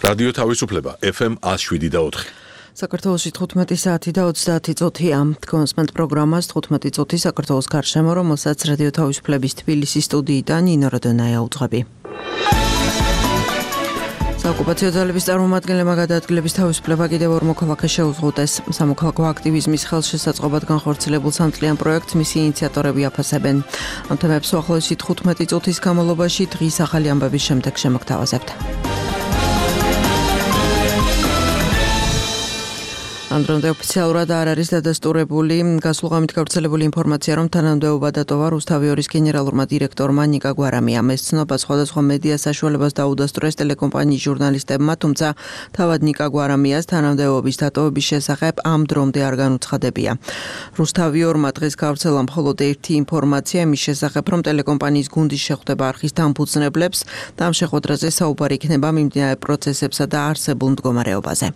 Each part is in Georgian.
რადიო თავისუფლება FM 107.4. საქართველოში 15 საათი და 30 წუთია. კონსმენტ პროგრამას 15 წუთი საქართველოს გარშემო, რომელსაც რადიო თავისუფლების თბილისის სტუდიიდან ნინო როდონაია უძღვები. საოკუპაციო ძალების წარმომადგენლებმა გადაადგილების თავისუფლება კიდევ ორ მოქალაქეს შეუზღუდეს. სამოქალაქო აქტივიზმის ხელშესაწყობად განხორციელებულ სამწლიან პროექტს მისი ინიციატორები აფასებენ. ამ თემებს უახლოესი 15 წუთის განმავლობაში დღის ახალი ამბების შემდეგ შემოგთავაზებთ. ამ დრომდე ოფიციალურად არ არის დადასტურებული გასულღამით გავრცელებული ინფორმაცია, რომ თანამდებობა დატოვა რუსთავიორის გენერალურმა დირექტორმა ნიკა გვარამიამ. ეს ცნობა სხვადასხვა მედია საშუალებას დაუდასტურეს ტელეკომპანიის ჟურნალისტებმა, თუმცა თავად ნიკა გვარამიას თანამდებობის დატოვების შესახებ ამ დრომდე არ განუცხადებია. რუსთავიორმა დღეს გავრცელა მხოლოდ ერთი ინფორმაცია იმის შესახებ, რომ ტელეკომპანიის გუნდის შეხვდება არხის დამფუძნებლებს და ამ შეხვედრაზე საუბარი იქნება მიმდინარე პროცესებსა და არსებულ მდგომარეობაზე.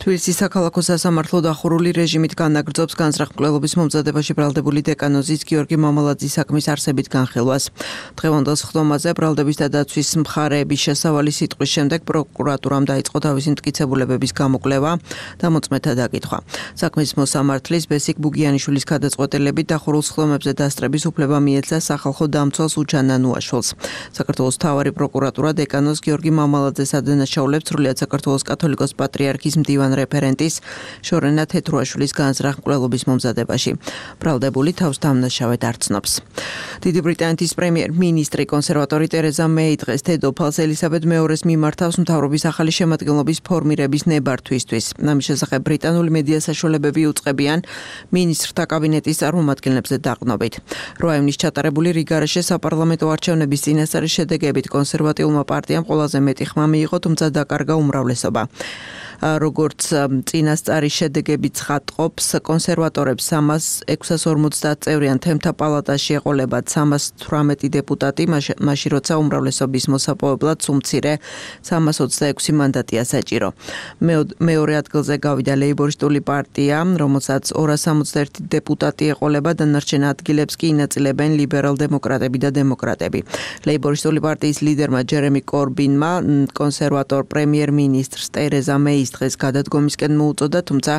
თბილისის საქალაქო სამართლო დახურული რეჟიმით განაგრძობს განზრახ-მკვლელობის მომზადებაში ბრალდებული დეკანოზის გიორგი მამალაძის საქმის არსებით განხილვას. დღევანდელ სხდომაზე ბრალდების და დაცვის მხარეების შესავალი სიტყვის შემდეგ პროკურატურამ დაიწყო თავისი მტკიცებულებების გამოკვლევა და მოწმეთა დაკითხვა. საქმის მოსამართლის ბესიკ ბუგიანიშვილის გადაწყვეტილებით დახურულ სხდომებზე დასწრების უფლება მიეცა სახალხო დამცველს უჩანა ნუაშვილს. საქართველოს მთავარი პროკურატურა დეკანოზ გიორგი მამალაძეს ადანაშაულებს სრულიად საქართველოს კათოლიკოს პატრიარქის მდივან რეფერენტის შორენა თეთრუაშვილის განზრახ-მკვლელობის მომზადებაში. ბრალდებული თავს დამნაშავედ არ ცნობს. დიდი ბრიტანეთის პრემიერ-მინისტრი კონსერვატორი ტერეზა მეი დღეს დედოფალს ელისაბედ მეორეს მიმართავს მთავრობის ახალი შემადგენლობის ფორმირების ნებართვისთვის. ამის შესახებ ბრიტანული მედია საშუალებები უწყებიან მინისტრთა კაბინეტის წარმომადგენლებზე დაყრდნობით. 8 ივნის ჩატარებული რიგარეშე საპარლამენტო არჩევნების წინასწარი შედეგებით კონსერვატიულმა პარტიამ ყველაზე მეტი ხმა მიიღო, თუმცა დაკარგა უმრავლესობა. როგორც წინასწარი შედეგები ცხადყოფს, კონსერვატორებს 650 წევრიან თემთა პალატაში ეყოლებათ 318 დეპუტატი, მაშინ როცა უმრავლესობის მოსაპოვებლად უმცირე 326 მანდატია საჭირო. მეორე ადგილზე გავიდა ლეიბორისტული პარტია, რომელსაც 261 დეპუტატი ეყოლება, დანარჩენ ადგილებს კი ინაწილებენ ლიბერალ-დემოკრატები და დემოკრატები. ლეიბორისტული პარტიის ლიდერმა ჯერემი კორბინმა კონსერვატორ პრემიერ-მინისტრს ტერეზა მეის დღეს გადადგომისკენ მოუწოდა, თუმცა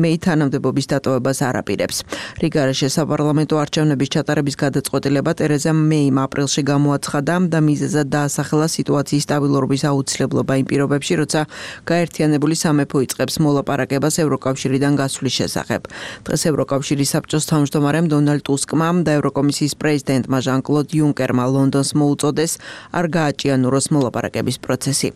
მეი თანამდებობის დატოვებას არ აპირებს. რიგარეშე საპარლამენტო არჩევნების ჩატარების გადაწყვეტილება ტერეზა მეიმ აპრილში გამოაცხადა და მიზეზად დაასახელა სიტუაციის სტაბილურობის აუცილებლობა იმ პირობებში, როცა გაერთიანებული სამეფო იწყებს მოლაპარაკებას ევროკავშირიდან გასვლის შესახებ. დღეს ევროკავშირის საბჭოს თავმჯდომარემ დონალდ ტუსკმა და ევროკომისიის პრეზიდენტმა ჟან-კლოდ იუნკერმა ლონდონს მოუწოდეს არ გააჭიანუროს მოლაპარაკების პროცესი.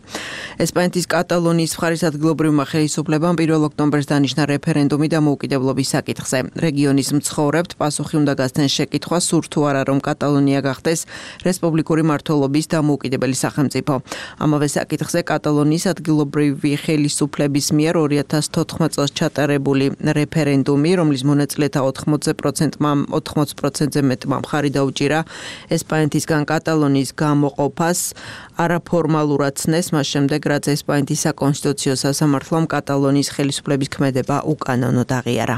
ესპანეთის კატალონიის მხარის ადგილობრივმა ხელისუფლებამ 1 ოქტომბერს დანიშნა რეფერენდუმი დამოუკიდებლობის საკითხზე. რეგიონის მცხოვრებთ პასუხი უნდა გასცენ შეკითხვას, სურთ თუ არა რომ კატალონია გახდეს რესპუბლიკური მმართველობის დამოუკიდებელი სახელმწიფო. ამავე საკითხზე კატალონიის ადგილობრივი ხელისუფლების მიერ 2014 წელს ჩატარებული რეფერენდუმი, რომლის მონაწილეთა 80%-ზე მეტმა მხარი დაუჭირა ესპანეთისგან კატალონიის გამოყოფას, არაფორმალურად ცნეს მას შემდეგ, რაც ესპანეთის საკონსტიტუციო სასამართლომ კატალონიის ხელისუფლების ქმედება უკანონოდ აღიარა.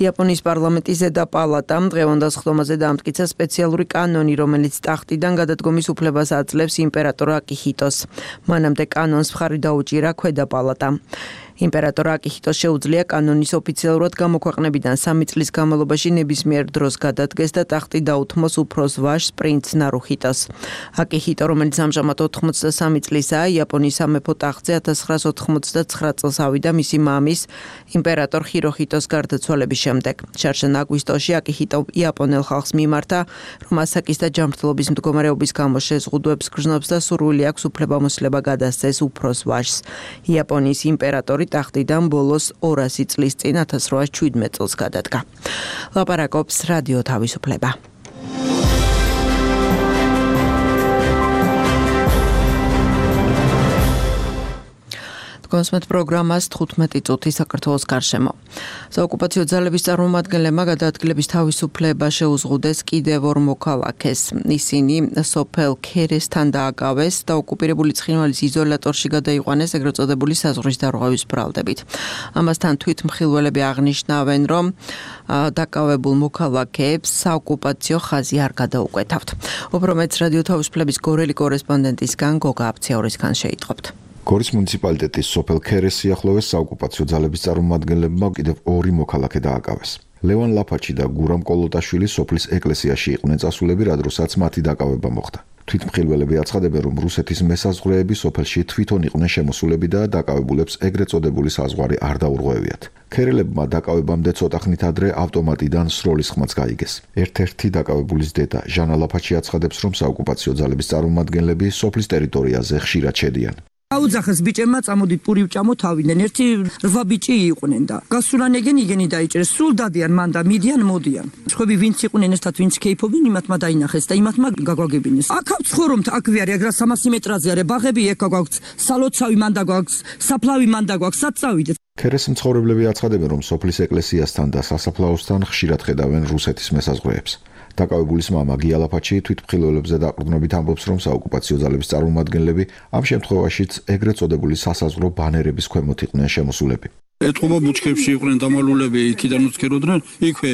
იაპონიის პარლამენტის ზედა პალატამ დღევანდელ სხდომაზე დაამტკიცა სპეციალური კანონი, რომელიც ტახტიდან გადადგომის უფლებას აძლევს იმპერატორ აკიჰიტოს. მანამდე კანონს მხარი დაუჭირა ქვედა პალატამ. იმპერატორ აკიჰიტოს შეუძლია კანონის ოფიციალურად გამოქვეყნებიდან 3 წლის განმავლობაში ნებისმიერ დროს გადადგეს და ტახტი დაუთმოს უფროს ვაჟს პრინც ნარუჰიტოს. აკიჰიტო, რომელიც ამჟამად 83 წლისაა, იაპონიის სამეფო ტახტზე 1989 წელს ავიდა მისი მამის იმპერატორ ჰიროჰიტოს გარდაცვალების შემდეგ. შარშან აგვისტოში აკიჰიტო იაპონელ ხალხს მიმართა, რომ ასაკის და ჯანმრთელობის მდგომარეობის გამო შეზღუდვებს გრძნობს და სურვილი აქვს უფლებამოსილება გადასცეს უფროს ვაჟს. იაპონიის იმპერატორი ტახტიდან ბოლოს 200 წლის წინ 1817 წელს გადადგა. ლაპარაკობს რადიო თავისუფლება. კონსმენტ პროგრამას 15 წუთი საქართველოს გარშემო. საოკუპაციო ძალების წარმომადგენლებმა გადაადგილების თავისუფლება შეუზღუდეს კიდევ ორ მოქალაქეს. ისინი სოფელ ქერესთან დააკავეს და ოკუპირებული ცხინვალის იზოლატორში გადაიყვანეს ეგრეთ წოდებული საზღვრის დარღვევის ბრალდებით. ამასთან თვითმხილველები აღნიშნავენ, რომ დაკავებულ მოქალაქეებს საოკუპაციო ხაზი არ გადაუკვეთავთ. უფრო მეტს რადიო თავისუფლების გორელი კორესპონდენტისგან გოგა აფციაურისგან შეიტყობთ. გორის მუნიციპალიტეტის სოფელ ქერეს სიახლოვეს საოკუპაციო ძალების წარმომადგენლებმა კიდევ 2 მოქალაქე დააკავეს. ლევან ლაფაჩი და გურამ კოლოტაშვილი სოფლის ეკლესიაში იყვნენ წასულები, რა დროსაც მათი დაკავება მოხდა. თვითმხილველები აცხადებენ, რომ რუსეთის მესაზღვრეები სოფელში თვითონ იყვნენ შემოსულები და დაკავებულებს ეგრეთ წოდებული საზღვარი არ დაურღვევიათ. ქერელებმა დაკავებამდე ცოტა ხნით ადრე ავტომატიდან სროლის ხმაც გაიგეს. ერთ-ერთი დაკავებულის დედა ჟანა ლაფაჩი აცხადებს, რომ საოკუპაციო ძალების წარმომადგენლები სოფლის ტერიტორიაზე ხშირად შედიან. აუძახეს ბიჭებმა წამოდით პური ვჭამო თავიდან. ერთი 8 ბიჭი იყვნენ და გასულანეგენ იგენი დაიჭერეს. სულ დადიან მან და მიდიან მოდიან. ხვები ვინც იყვნენ ესთან ვინც კეიფობენ იმათმა დაინახეს და იმათმა გაგვაგებინეს. აქ ცხოვრობთ, აქ ვიარი, აგრა 300 მეტრაზე არის. ბაღები ეგ გაგვაქვს, სალოცავი მან დაგვაქვს, საფლავი მან დაგვაქვს, საწავიდეთ. ქერეს მცხოვრებლები აცხადებენ, რომ სოფლის ეკლესიასთან და სასაფლაოსთან ხშირად ხედავენ რუსეთის მესაზღვრეებს. დაკავებულის მამა გია ლაფაჩი თვითმხილველებზე დაყრდნობით ამბობს, რომ საოკუპაციო ძალების წარმომადგენლები ამ შემთხვევაშიც ეგრეთ წოდებული სასაზღვრო ბანერების ქვემოთ იყვნენ შემოსულები. ეთყობა ბუჩქებში იყვნენ დამალულები, იქიდან უცქეროდნენ, იქვე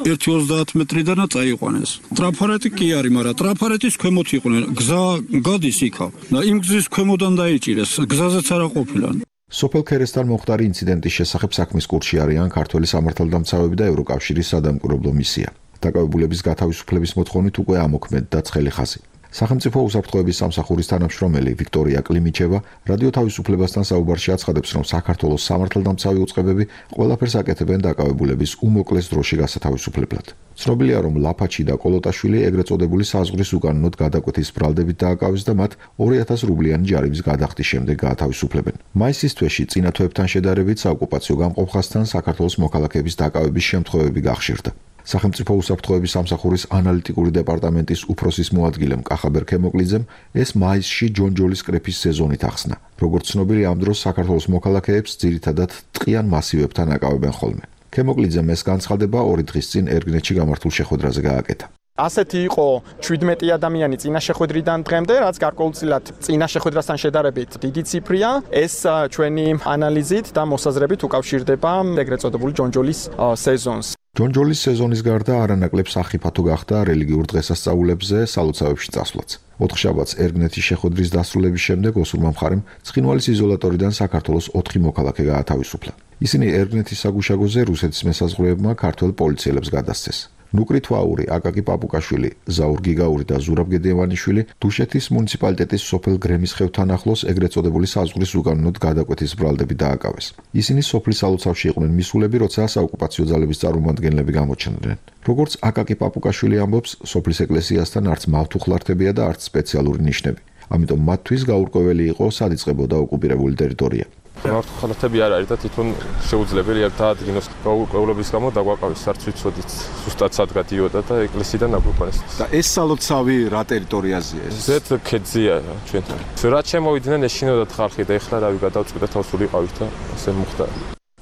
1-30 მეტრიდანაც წაიყვანეს. ტრაფარეტი კი არის, მაგრამ ტრაფარეტის ქვემოთ იყვნენ. გზა გადის იქა და იმ გზის ქვემოდან დაიჭირეს. გზაზეც არ ყოფილა. სოფელ ქერესთან მოხდარი ინციდენტის შესახებ საქმის კურსში არიან ქართველი სამართალდამცავები და ევროკავშირის სადამკვირვებლო მისია. დაკავებულების გათავისუფლების მოთხოვნით უკვე ამოქმედდა ცხელი ხაზი. სახელმწიფო უსაფრთხოების სამსახურის თანამშრომელი ვიქტორია კლიმიჩევა რადიო თავისუფლებასთან საუბარში აცხადებს, რომ საქართველოს სამართალდამცავი უწყებები ყველაფერს აკეთებენ დაკავებულების უმოკლეს დროში გასათავისუფლებლად. ცნობილია, რომ ლაფაჩი და კოლოტაშვილი ეგრეთ წოდებული საზღვრის უკანონოდ გადაკვეთის ბრალდებით დააკავეს და მათ 2000 რუბლიანი ჯარიმის გადახდის შემდეგ გაათავისუფლებენ. მაისის თვეში წინა თვეებთან შედარებით საოკუპაციო გამყოფხასთან საქართველოს მოქალაქეების დაკავების შემთხვევები გახშირდა. სახელმწიფო უსაფრთხოების სამსახურის ანალიტიკური დეპარტამენტის უფროსის მოადგილემ კახაბერ ქემოკლიძემ ეს მაისში ჯონჯოლის კრეფის სეზონით ახსნა. როგორც ცნობილი, ამ დროს საქართველოს მოქალაქეებს ძირითადად ტყიან მასივებთან აკავებენ ხოლმე. ქემოკლიძემ ეს განცხადება 2 დღის წინ ერგნეთში გამართულ შეხვედრაზე გააკეთა. ასეთი იყო 17 ადამიანი წინა შეხვედრიდან დღემდე, რაც გარკვეულწილად წინა შეხვედრასთან შედარებით დიდი ციფრია. ეს ჩვენი ანალიზით და მოსაზრებით უკავშირდება ეგრეთ წოდებული ჯონჯოლის სეზონს. ჯონჯოლის სეზონის გარდა არანაკლებ სახიფათო გახდა რელიგიურ დღესასწაულებზე სალოცავებში წასვლაც. 4 შაბათს ერგნეთის შეხვედრის დასრულების შემდეგ ოსურმა მხარემ ცხინვალის იზოლატორიდან საქართველოს 4 მოქალაქე გაათავისუფლა. ისინი ერგნეთის საგუშაგოზე რუსეთის მესაზღვრეებმა ქართველ პოლიციელებს გადასცეს. ნუკრი თვაური, აკაკი პაპუკაშვილი, ზაურ გიგაური და ზურაბ გედევანიშვილი დუშეთის მუნიციპალიტეტის სოფელ გრემის ხევთან ახლოს ეგრეთ წოდებული საზღვრის უკანონოდ გადაკვეთის ბრალდებით დააკავეს. ისინი სოფლის სალოცავში იყვნენ მისულები, როცა საოკუპაციო ძალების წარმომადგენლები გამოჩნდნენ. როგორც აკაკი პაპუკაშვილი ამბობს, სოფლის ეკლესიასთან არც მავთუხლართებია და არც სპეციალური ნიშნები. ამიტომ მათთვის გაურკვეველი იყო, სად იწყებოდა ოკუპირებული ტერიტორია. მავთუხლართები არ არის და თვითონ შეუძლებელია დაადგინოს გაურკვევლობის გამო დაგვაყავეს, არც ვიცოდით ზუსტად სად გადიოდა და ეკლესიიდან აგვიყვანეს. და ეს სალოცავი რა ტერიტორიაზეა? ზეთ ქედზეა ჩვენთან. რაც შემოვიდნენ ეშინოდათ ხალხი და ეხლა რავი გადავწყვიტეთ ავსულიყავით და ასე მოხდა.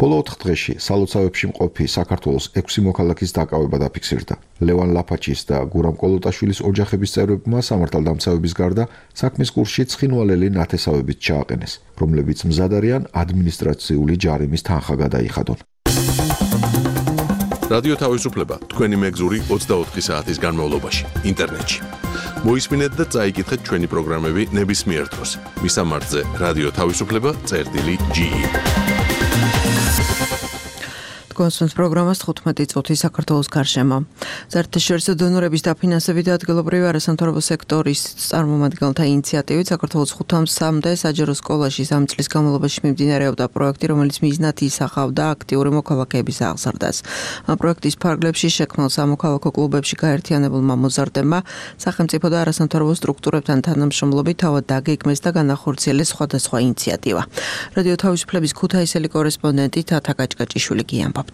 ბოლო 4 დღეში სალოცავებში მყოფი საქართველოს 6 მოქალაქის დაკავება დაფიქსირდა. ლევან ლაფაჩის და გურამ კოლოტაშვილის ოჯახების წევრებმა სამართალდამცავების გარდა საქმის კურსში ცხინვალელი ნათესავებით ჩააყენეს, რომლებიც მზად არიან ადმინისტრაციული ჯარიმის თანხა გადაიხადონ. რადიო თავისუფლება თქვენი მეგზური 24 საათის განმავლობაში ინტერნეტში. მოისმინეთ და წაიკითხეთ ჩვენი პროგრამები ნებისმიერ დროს. მისამართზე რადიო თავისუფლება.ge კონსტანტ პროგრამას 15 წუთი საქართველოს გარშემო. საერთაშორისო დონორების დაფინანსებით და ადგილობრივი არასამთავრობო სექტორის წარმომადგენელთა ინიციატივით საქართველოს 5-მდე საჯარო სკოლაში 3 წლის განმავლობაში მიმდინარეობდა პროექტი, რომელიც მიზნად ისახავდა აქტიური მოქალაქეების აღზრდას. ამ პროექტის ფარგლებში შექმნილ სამოქალაქო კლუბებში გაერთიანებულმა მოზარდებმა სახელმწიფო და არასამთავრობო სტრუქტურებთან თანამშრომლობით თავად დაგეგმეს და განახორციელეს სხვადასხვა ინიციატივა. რადიო თავისუფლების ქუთაისელი კორესპონდენტი თათა კაჭკაჭიშვილი გიამბობს.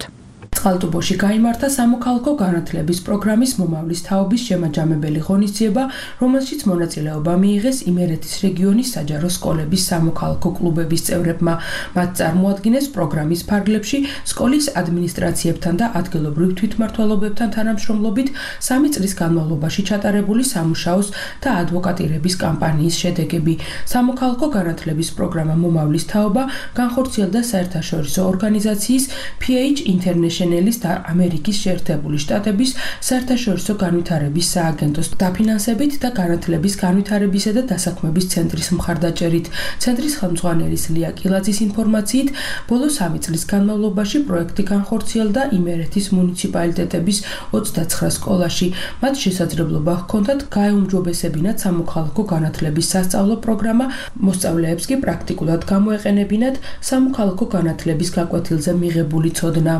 წყალტუბოში გაიმართა სამოქალაქო განათლების პროგრამის მომავლის თაობის შემაჯამებელი ღონისძიება, რომელშიც მონაწილეობა მიიღეს იმერეთის რეგიონის საჯარო სკოლების სამოქალაქო კლუბების წევრებმა. მათ წარმოადგენეს პროგრამის ფარგლებში სკოლის ადმინისტრაციებთან და ადგილობრივ თვითმმართველობებთან თანამშრომლობით 3 წლის განმავლობაში ჩატარებული სამუშაოს და ადვოკატირების კამპანიის შედეგები. სამოქალაქო განათლების პროგრამა მომავლის თაობა განხორციელდა საერთაშორისო ორგანიზაციის PH International შეშენელის და ამერიკის შეერთებული შტატების საერთაშორისო განვითარების სააგენტოს დაფინანსებით და განათლების განვითარებისა და დასაქმების ცენტრის მხარდაჭერით. ცენტრის ხელმძღვანელის ლია კილაძის ინფორმაციით, ბოლო 3 წლის განმავლობაში პროექტი განხორციელდა იმერეთის მუნიციპალიტეტების 29 სკოლაში. მათ შესაძლებლობა ჰქონდათ გაეუმჯობესებინათ სამოქალაქო განათლების სასწავლო პროგრამა, მოსწავლეებს კი პრაქტიკულად გამოეყენებინათ სამოქალაქო განათლების გაკვეთილზე მიღებული ცოდნა.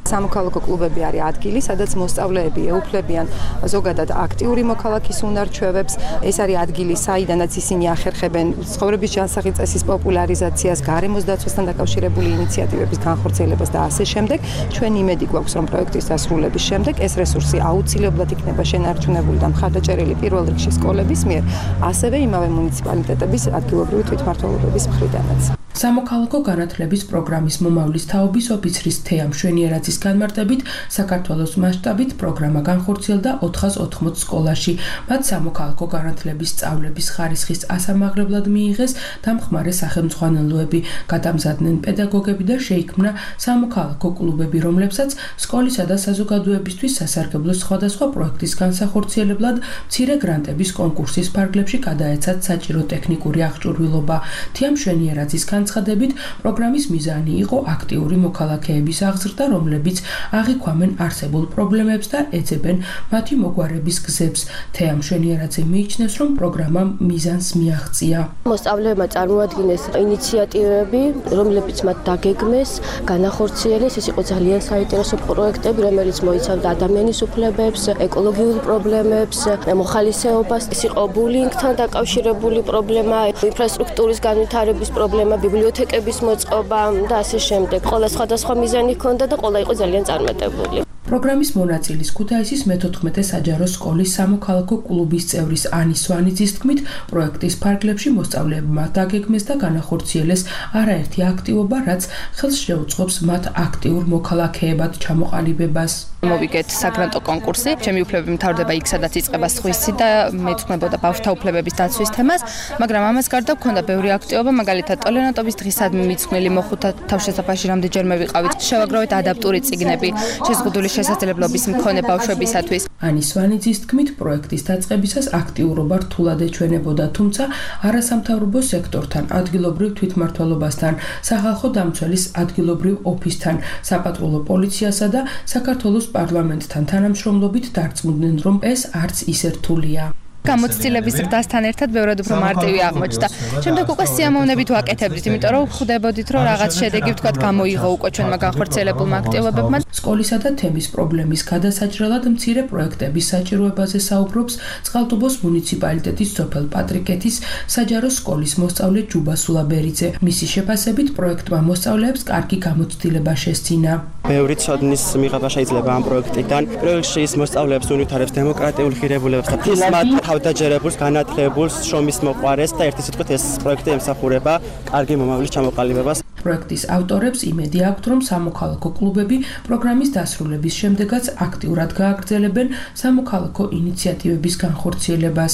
სამოქალაქო კლუბები არის ადგილი, სადაც მოსწავლეები ეუფლებიან ზოგადად აქტიური მოქალაქის უნარჩვევებს. ეს არის ადგილი, საიდანაც ისინი ახერხებენ ცხოვრების ჯანსაღი წესის პოპულარიზაციას, გარემოს დაცვასთან დაკავშირებული ინიციატივების განხორციელებას და ასე შემდეგ. ჩვენ იმედი გვაქვს, რომ პროექტის დასრულების შემდეგ ეს რესურსი აუცილებლად იქნება შენარჩუნებული და მხარდაჭერილი პირველ რიგში სკოლების მიერ, ასევე იმავე მუნიციპალიტეტების ადგილობრივი თვითმმართველობების მხრიდანაც. სამოქალაქო განათლების პროგრამის მომავლის თაობის ოფიცრის თეა მშვენიერაძის განმარტებით, საქართველოს მასშტაბით პროგრამა განხორციელდა 480 სკოლაში. მათ სამოქალაქო განათლების სწავლების ხარისხის ასამაღლებლად მიიღეს დამხმარე სახელმძღვანელოები, გადამზადდნენ პედაგოგები და შეიქმნა სამოქალაქო კლუბები, რომლებსაც სკოლისა და საზოგადოებისთვის სასარგებლო სხვადასხვა პროექტის განსახორციელებლად მცირე გრანტების კონკურსის ფარგლებში გადაეცათ საჭირო ტექნიკური აღჭურვილობა. თეა მშვენიერაძის განცხადებით, პროგრამის მიზანი იყო აქტიური მოქალაქეების აღზრდა, რომლებიც აღიქვამენ არსებულ პრობლემებს და ეძებენ მათი მოგვარების გზებს. თეა მშვენიერაძე მიიჩნევს, რომ პროგრამამ მიზანს მიაღწია. მოსწავლეებმა წარმოადგინეს ინიციატივები, რომლებიც მათ დაგეგმეს, განახორციელეს. ეს იყო ძალიან საინტერესო პროექტები, რომელიც მოიცავდა ადამიანის უფლებებს, ეკოლოგიურ პრობლემებს, მოხალისეობას. ეს იყო ბულინგთან დაკავშირებული პრობლემა, ინფრასტრუქტურის განვითარების პრობლემა, ბიბლიოთეკების მოწყობა და ასე შემდეგ. ყველა სხვადასხვა მიზანი ჰქონდა და ყველა იყო ძალიან წარმატებული. პროგრამის მონაწილის ქუთაისის მე-14 საჯარო სკოლის სამოქალაქო კლუბის წევრის ანის სვანიძის თქმით, პროექტის ფარგლებში მოსწავლეებმა დაგეგმეს და განახორციელეს არაერთი აქტივობა, რაც ხელს შეუწყობს მათ აქტიურ მოქალაქეებად ჩამოყალიბებას. მოვიგეთ საგრანტო კონკურსი. ჩემი უფლებები მთავრდება იქ, სადაც იწყება სხვისი და მეცნებოდა ბავშვთა უფლებების დაცვის თემას, მაგრამ ამას გარდა მქონდა ბევრი აქტივობა, მაგალითად ტოლერანტობის დღისადმი მიძღვნილი მოხუთა თავშესაფარში რამდენჯერმე ვიყავით. შევაგროვეთ ადაპტური წიგნები შეზღუდული შესაძლებლობის მქონე ბავშვებისათვის. ანის სვანიძის თქმით, პროექტის დაწყებისას აქტიურობა რთულად ეჩვენებოდა, თუმცა არასამთავრობო სექტორთან, ადგილობრივ თვითმმართველობასთან, სახალხო დამცველის ადგილობრივ ოფისთან, საპატრულო პოლიციასა და საქართველოს პარლამენტთან თანამშრომლობით დარწმუნდნენ, რომ ეს არც ისე რთულია. გამოცდილების ზრდასთან ერთად ბევრად უფრო მარტივი აღმოჩნდა. შემდეგ უკვე სიამოვნებით ვაკეთებდით, იმიტომ რომ ხვდებოდით, რომ რაღაც შედეგი ვთქვათ გამოიღო უკვე ჩვენმა განხორციელებულმა აქტივობებმა. სკოლისა და თემის პრობლემის გადასაჭრელად მცირე პროექტების საჭიროებაზე საუბრობს წყალტუბოს მუნიციპალიტეტის სოფელ პატრიკეთის საჯარო სკოლის მოსწავლე ჯუბა სულაბერიძე. მისი შეფასებით პროექტმა მოსწავლეებს კარგი გამოცდილება შესძინა. ბევრი ცოდნის მიღება შეიძლება ამ პროექტიდან. პირველ რიგში ის მოსწავლეებს უნვითარებს დემოკრატიულ ღირებულებებს და ფისმად თავდაჯერებულს, განათლებულს, შრომის მოყვარეს და ერთი სიტყვით ეს პროექტი ემსახურება კარგი მომავლის ჩამოყალიბებას. პროექტის ავტორებს იმედი აქვთ, რომ სამოქალაქო კლუბები პროგრამის დასრულების შემდეგაც აქტიურად გააგრძელებენ სამოქალაქო ინიციატივების განხორციელებას.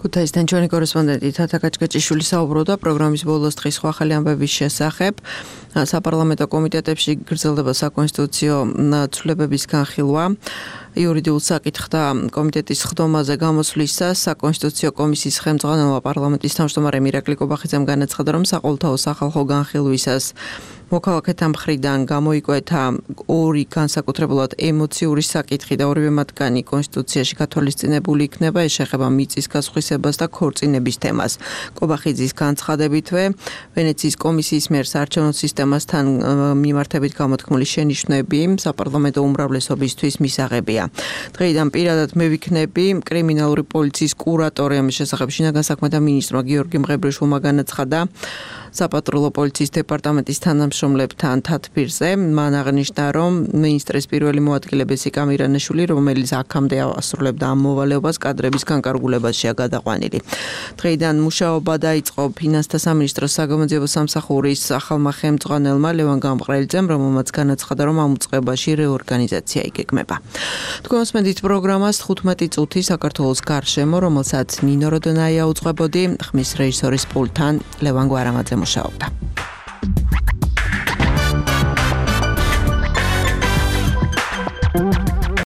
ქუთაისთან ჩვენი კორესპონდენტი თათა კაჭკაჭიშვილი საუბრობდა პროგრამის ბოლოს დღის ახალი ამბების შესახებ. საპარლამენტო კომიტეტებში გრძელდება საკონსტიტუციო ცვლილებების განხილვა. იურიდიულ საკითხთა კომიტეტის ხდომაზე გამოსვლისას საკონსტიტუციო კომისიის ხელმძღვანელმა პარლამენტის თავმჯდომარემ ირაკლი კობახიძემ განაცხადა, რომ საყოველთაო სახალხო განხილვისას მოქალაქეთა მხრიდან გამოიკვეთა ორი განსაკუთრებულად ემოციური საკითხი და ორივე მათგანი კონსტიტუციაში გათვალისწინებული იქნება. ეს შეეხება მიწის გასხვისებას და ქორწინების თემას. კობახიძის განცხადებითვე ვენეციის კომისიის მიერ საარჩევნო სისტემასთან მიმართებით გამოთქმული შენიშვნები საპარლამენტო უმრავლესობისთვის მისაღებია. დღეიდან პირადად მე ვიქნები კრიმინალური პოლიციის კურატორი ამის შესახებ შინაგან საქმეთა მინისტრმა გიორგი მღებრიშვილმა განაცხადა საპატრულო პოლიციის დეპარტამენტის თანამშრომლებთან თათბირზე. მან აღნიშნა, რომ მინისტრის პირველი მოადგილე ბესიკა მირანაშვილი, რომელიც აქამდე ასრულებდა ამ მოვალეობას, კადრების განკარგულებაშია გადაყვანილი. დღეიდან მუშაობა დაიწყო ფინანსთა სამინისტროს საგამოძიებო სამსახურის ახალმა ხელმძღვანელმა ლევან გამყრელიძემ, რომელმაც განაცხადა, რომ ამ უწყებაში რეორგანიზაცია იგეგმება. თქვენ მოსმენთ პროგრამას 15 წუთი საქართველოს გარშემო, რომელსაც ნინო როდონაია უძღვებოდი, ხმის რეჟისორის პულტთან ლევან გვარამაძე მუშაობდა.